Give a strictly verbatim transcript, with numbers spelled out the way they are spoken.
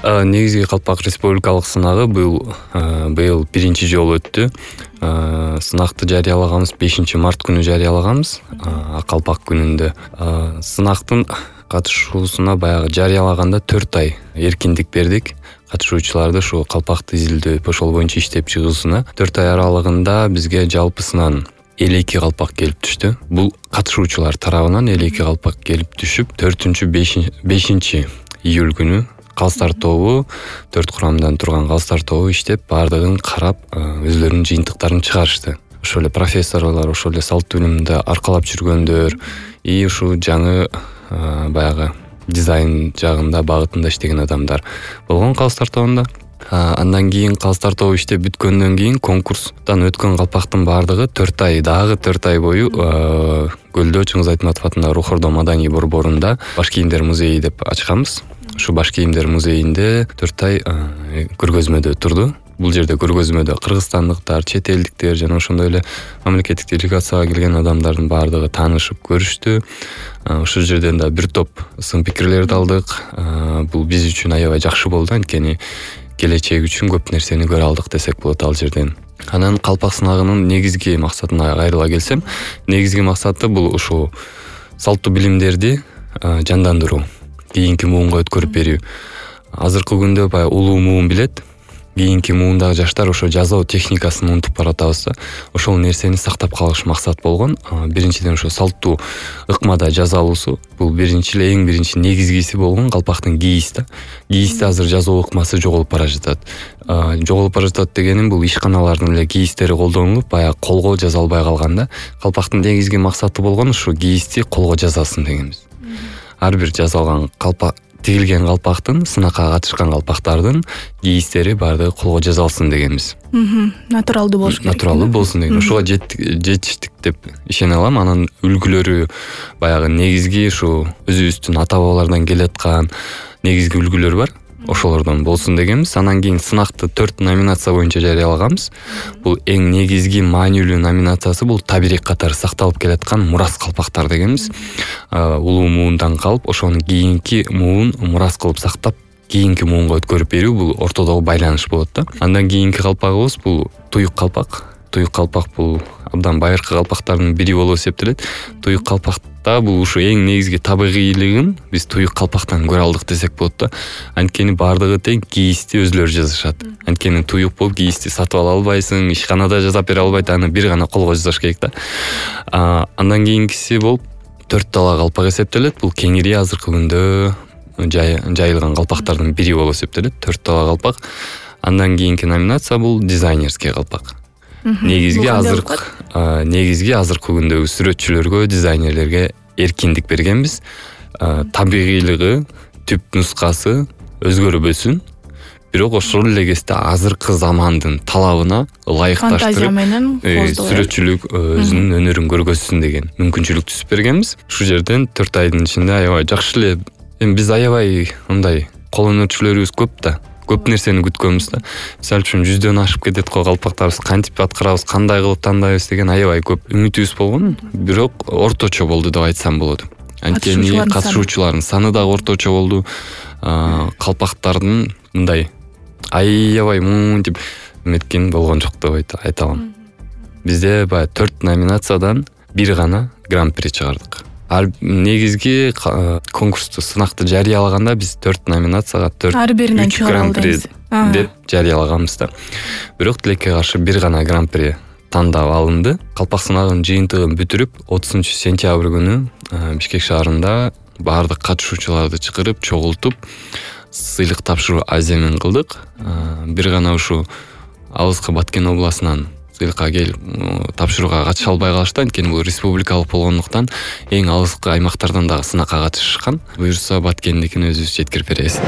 Негизги калпак республикалык сынагы быйыл быйыл биринчи жолу өттү. Сынакты жарыялаганбыз бешинчи март күнү жарыялаганбыз, калпак күнүндө. Сынактын катышуусуна баягы жарыялаганда төрт ай эркиндик бердик. Катышуучуларды ушу калпакты изилдөө ошол боюнча иштеп чыгуусуна төрт ай аралыгында бизге жалпысынан элүү эки калпак келип түштү. Бул катышуучулар тарабынан элүү эки калпак келип түшүп, төртүнчү бешинчи июль күнү калстар тобу, төрт курамдан турган калстар тобу иштеп, бардыгын карап, өзлөрүнүн жыйынтыктарын чыгарышты. Ошол эле профессорлор, ошол эле салттуу илимди аркалап жүргөндөр, и ушу жаңы баягы дизайн жагында, багытында иштеген адамдар болгон калстар тобунда. Андан кийин калстар тобу иштеп бүткөндөн кийин конкурстан өткөн калпактын бардыгы төрт ай, дагы төрт ай бою Көлдө Чыңгыз Айтматов атындагы Рухордо маданий борборунда баш кийимдер музейи деп ачканбыз. Ушу баш кийимдер музейинде төрт ай көргөзмөдө турду. Бул жерде көргөзмөдө кыргызстандыктар, чет элдиктер жана ошондой эле мамлекеттик делегацияга келген адамдардын бардыгы таанышып көрүштү. Ошол жерден да бир топ сын пикирлерди алдык. Бул биз үчүн аябай жакшы болду, анткени келечек үчүн көп нерсени көрө алдык десек болот ал жерден. Анан калпак сынагынын негизги максатына кайрыла келсем, негизги максаты бул ушу салттуу билимдерди жандандыруу, кийинки муунга өткөрүп берүү. Азыркы күндө баягы улуу муун билет, кийинки муундагы жаштар ошо жазуу техникасын унутуп баратабыз да. Ошол нерсени сактап калыш максат болгон. Биринчиден ошо салттуу ыкмада жаза алуусу, бул биринчи эле эң биринчи негизгиси болгон калпактын кийиси да. Кийисте азыр жазуу ыкмасы жоголуп бара жатат. Жоголуп бара жатат дегеним бул ишканалардын эле кийистери колдонулуп, баягы колго жаза албай калган да. Калпактын негизги максаты болгон ушу кийисти колго жазасын дегенбиз. Ар бир жасалган калпак тигилген калпактын, сынакка катышкан калпактардын кийистери баардыгы колго жазалсын дегенбиз. Натуралдуу болуш керек. Натуралдуу болсун деген. Ошого жетиштик деп ишене алам. Анын үлгүлөрү баягы негизги ушу өзүбүздүн ата бабалардан келаткан негизги үлгүлөр бар. Ошолордон болсун дегенбиз. Анан кийин сынакты төрт номинация боюнча жарыялаганбыз. Бул эң негизги маанилүү номинациясы бул табирек катары сакталып келаткан мурас калпактар дегенбиз. Улуу муундан калып, ошону кийинки муун мурас кылып сактап, кийинки муунга өткөрүп берүү бул ортодогу байланыш болот да. Андан кийинки калпагыбыз бул туюк калпак. Туюк калпак бул абдан байыркы калпактардын бири болуп эсептелет. Туюк калпакта бул ушу эң негизги табигыйлыгын биз туюк калпактан көрө алдык десек болот да. Анткени бардыгы тең кийисти өзлөрү жазышат. Анткени туюк болуп кийисти сатып ала албайсың, ишканада жасап бере албайт, аны бир гана колго жасаш керек да. Андан кийинкиси болуп төрт тала калпак эсептелет. Бул кеңири азыркы күндө жайылган калпактардын бири болуп эсептелет, төрт тала калпак. Андан кийинки номинация бул дизайнерский калпак. Негизги азыркы негизги азыркы күндөгү сүрөтчүлөргө, дизайнерлерге эркиндик бергенбиз. Табигыйлыгы, түп нускасы өзгөрбөсүн, бирок ошол эле кезде азыркы замандын талабына ылайыкташтырып сүрөтчүлүк өзүнүн өнөрүн көргөзсүн деген мүмкүнчүлүк түзүп бергенбиз. Ушул жерден төрт айдын ичинде аябай жакшы эле, эми биз аябай мындай кол өнөрчүлөрүбүз көп да. Көп нерсени күткөнбүз да. Мисалы үчүн жүздөн ашып кетет го калпактарыбыз, кантип аткарабыз, кандай кылып тандайбыз деген аябай көп үмүтүбүз болгон, бирок орточо болду деп айтсам болот. Анткени катышуучулардын саны дагы орточо болду. Калпактардын мындай аябай мынтип эметкен болгон жок деп айта алам. Бизде баягы төрт номинациядан бир гана гран-при чыгардык. Ар негизги конкурсту сынакты жарыялаганда биз төрт номинацияга төрт үч гран-при деп жарыялаганбыз да. Бирок тилекке каршы бир гана гран-при тандап алынды. Калпак сынагынын жыйынтыгын бүтүрүп, отузунчу сентябрь күнү Бишкек шаарында баардык катышуучуларды чакырып, чогултуп, сыйлык тапшыруу аземин кылдык. Бир гана ушу Алыскы Баткен областынан сыйлыкка келип тапшырууга катыша албай калышты, анткени бул республикалык болгондуктан эң алыскы аймактардан дагы сынакка катышышкан. Буюрса Баткендикин өзүбүз жеткирип беребиз.